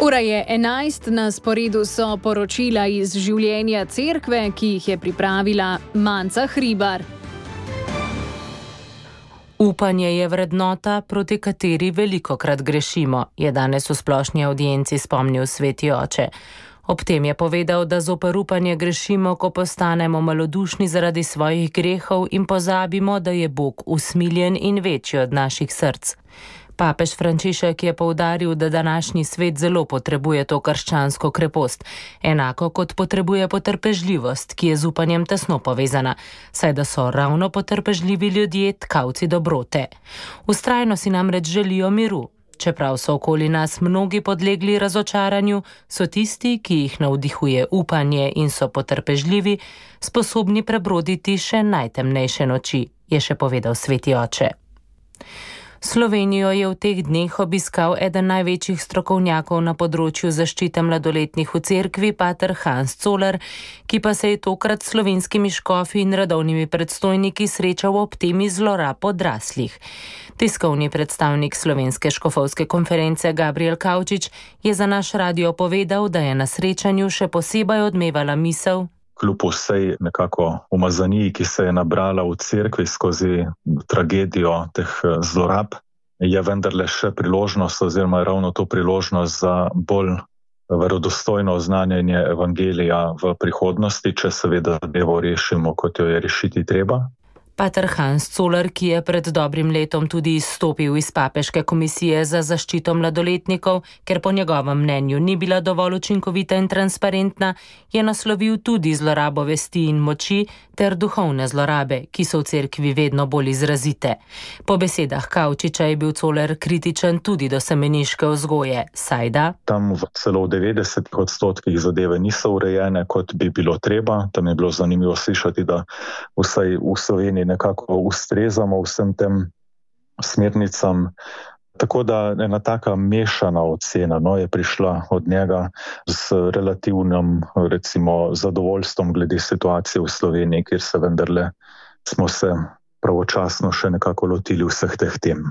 Ura je 11, na sporedu so poročila iz življenja cerkve, ki jih je pripravila Manca Hribar. Upanje je vrednota, proti kateri velikokrat grešimo, je danes v splošni avdienci spomnil sveti oče. Ob tem je povedal, da zoper upanje grešimo, ko postanemo malodušni zaradi svojih grehov in pozabimo, da je Bog usmiljen in večji od naših src. Papež Frančišek je poudaril, da današnji svet zelo potrebuje to krščansko krepost, enako kot potrebuje potrpežljivost, ki je z upanjem tesno povezana, saj da so ravno potrpežljivi ljudje tkavci dobrote. Vztrajno si namreč želijo miru. Čeprav so okoli nas mnogi podlegli razočaranju, so tisti, ki jih navdihuje upanje in so potrpežljivi, sposobni prebroditi še najtemnejše noči, je še povedal sveti oče. Slovenijo je v teh dneh obiskal eden največjih strokovnjakov na področju zaščite mladoletnih v cerkvi, pater Hans Zoller, ki pa se je tokrat s slovenskimi škofi in redovnimi predstojniki srečal ob temi zlorab odraslih. Tiskovni predstavnik Slovenske škofovske konference Gabriel Kavčič je za naš radio povedal, da je na srečanju še posebej odmevala misel: kljub vsej nekako umazaniji, ki se je nabrala v cerkvi skozi tragedijo teh zlorab, je vendarle še priložnost oziroma ravno to priložnost za bolj verodostojno oznanjanje evangelija v prihodnosti, če seveda zadevo rešimo, kot jo je rešiti treba. Pater Hans Zoller, ki je pred dobrim letom tudi izstopil iz papeške komisije za zaščito mladoletnikov, ker po njegovem mnenju ni bila dovolj učinkovita in transparentna, je naslovil tudi zlorabo vesti in moči ter duhovne zlorabe, ki so v cerkvi vedno bolj izrazite. Po besedah Kavčiča je bil Zoller kritičen tudi do semeniške vzgoje, saj da tam celo v 90% zadeve niso urejene, kot bi bilo treba. Tam je bilo zanimivo slišati, da vsaj v Sloveniji nekako ustrezamo vsem tem smernicam. Tako da ena taka mešana ocena je prišla od njega z relativnim, recimo, zadovoljstvom glede situacije v Sloveniji, kjer se vendarle smo se pravočasno še nekako lotili vseh teh tem.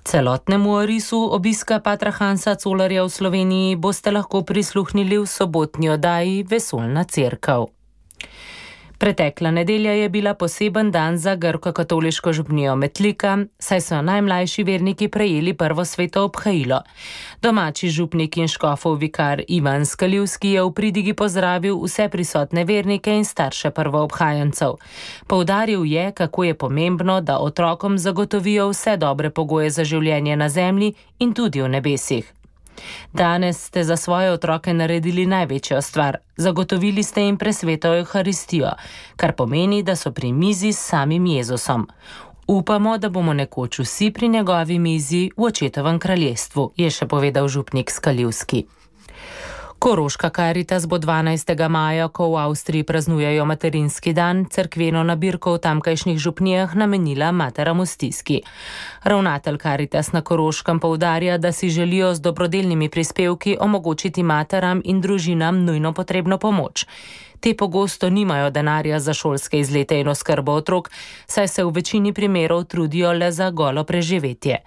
Celotnemu orisu obiska patra Hansa Zollerja v Sloveniji boste lahko prisluhnili v sobotni oddaji Vesoljna cerkev. Pretekla nedelja je bila poseben dan za grško-katoliško župnijo Metlika, saj so najmlajši verniki prejeli prvo sveto obhajilo. Domači župnik in škofov vikar Ivan Skalivski je v pridigi pozdravil vse prisotne vernike in starše prvoobhajencev. Poudaril je, kako je pomembno, da otrokom zagotovijo vse dobre pogoje za življenje na zemlji in tudi v nebesih. Danes ste za svoje otroke naredili največjo stvar. Zagotovili ste jim presveto Evharistijo, kar pomeni, da so pri mizi s samim Jezusom. Upamo, da bomo nekoč vsi pri njegovi mizi v očetovem kraljestvu, je še povedal župnik Skalivski. Koroška Karitas bo 12. maja, ko v Avstriji praznujejo materinski dan, cerkveno nabirko v tamkajšnjih župnijah namenila materam v stiski. Ravnatelj Karitas na Koroškem poudarja, da si želijo z dobrodelnimi prispevki omogočiti materam in družinam nujno potrebno pomoč. Te pogosto nimajo denarja za šolske izlete in oskrbo otrok, saj se v večini primerov trudijo le za golo preživetje.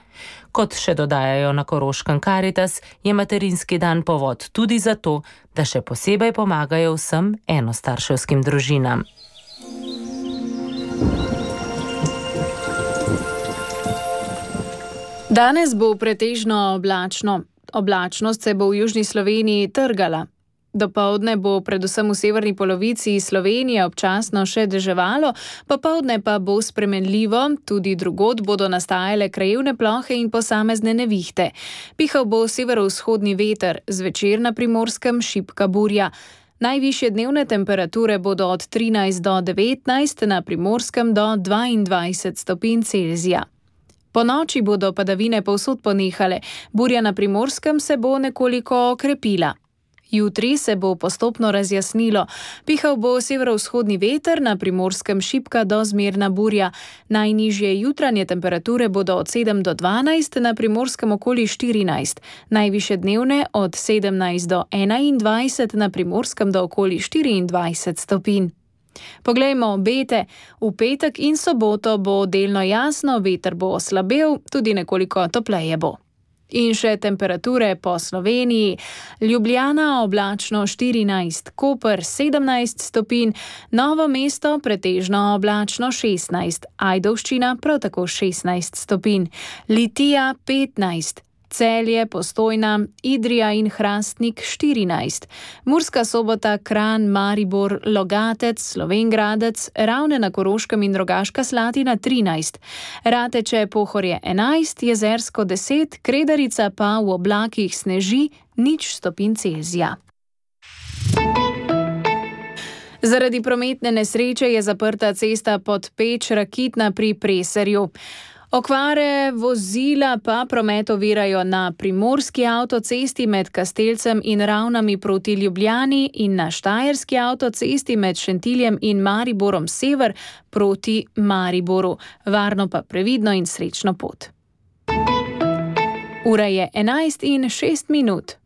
Kot še dodajajo na Koroškem Karitas, je materinski dan povod tudi zato, da še posebej pomagajo vsem enostarševskim družinam. Danes bo pretežno oblačno. Oblačnost se bo v južni Sloveniji trgala. Dopoldne bo predvsem v severni polovici Slovenije občasno še deževalo, popoldne pa bo spremenljivo, tudi drugod bodo nastajale krajevne plohe in posamezne nevihte. Pihal bo severovzhodni veter, zvečer na Primorskem šibka burja. Najvišje dnevne temperature bodo od 13 do 19, na Primorskem do 22 stopinj Celzija. Po noči bodo padavine povsod ponehale, burja na Primorskem se bo nekoliko okrepila. Jutri se bo postopno razjasnilo. Pihal bo severovzhodni veter, na Primorskem šibka do zmerna burja. Najnižje jutranje temperature bodo od 7 do 12, na Primorskem okoli 14. Najvišje dnevne od 17 do 21, na Primorskem do okoli 24 stopinj. Poglejmo obete. V petek in soboto bo delno jasno, veter bo oslabel, tudi nekoliko topleje bo. In še temperature po Sloveniji. Ljubljana oblačno 14, Koper 17 stopinj, Novo mesto pretežno oblačno 16, Ajdovščina prav tako 16 stopinj, Litija 15, Celje, Postojna, Idrija in Hrastnik 14, Murska Sobota, Kranj, Maribor, Logatec, Slovenj Gradec, Ravne na Koroškem in Rogaška Slatina 13, Rateče, Pohorje 11, Jezersko 10, Kredarica pa v oblakih sneži 0 stopinj Celzija. Zaradi prometne nesreče je zaprta cesta Podpeč-Rakitna pri Preserju. Okvare vozila pa promet ovirajo na primorski avtocesti med Kastelcem in Ravnami proti Ljubljani in na štajerski avtocesti med Šentiljem in Mariborom sever proti Mariboru. Varno pa previdno in srečno pot. Ura je 11:06.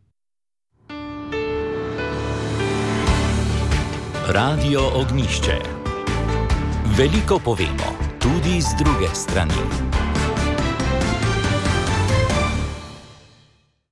Radio Ognjišče. Veliko povemo, tudi z druge strani.